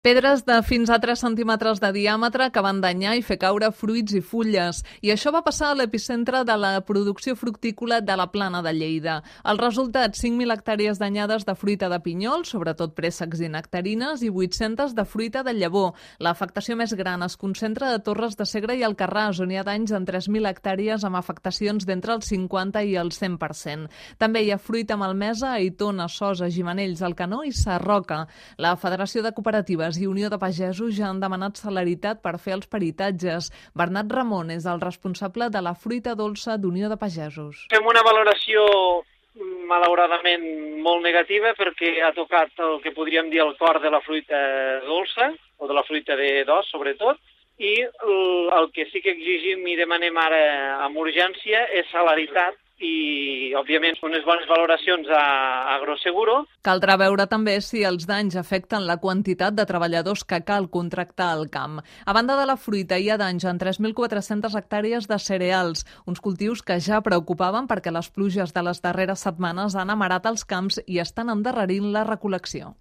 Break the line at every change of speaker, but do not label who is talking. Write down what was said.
Pedres de fins a 3 centímetres de diàmetre que van danyar i fer caure fruits i fulles. I això va passar a l'epicentre de la producció fructícola de la Plana de Lleida. El resultat, 5.000 hectàrees danyades de fruita de pinyol, sobretot préssecs i nectarines, i 800 de fruita de llavor. L'afectació més gran es concentra a Torres de Segre i Alcarràs, on hi ha danys en 3.000 hectàrees amb afectacions d'entre el 50 i el 100%. També hi ha fruita malmesa a Aitona, Sosa, Gimenells, Alcanó i Sarroca. La Federació de Cooperatives i Unió de Pagesos ja han demanat celeritat per fer els peritatges. Bernat Ramon és el responsable de la fruita dolça d'Unió de Pagesos.
Fem una valoració malauradament molt negativa perquè ha tocat el que podríem dir el cor de la fruita dolça, o de la fruita d'os sobretot, i el que sí que exigim i demanem ara amb urgència és celeritat i, òbviament, unes bones valoracions a Agroseguro.
Caldrà veure també si els danys afecten la quantitat de treballadors que cal contractar al camp. A banda de la fruita, hi ha danys en 3.400 hectàrees de cereals, uns cultius que ja preocupaven perquè les pluges de les darreres setmanes han amarat els camps i estan endarrerint la recol·lecció.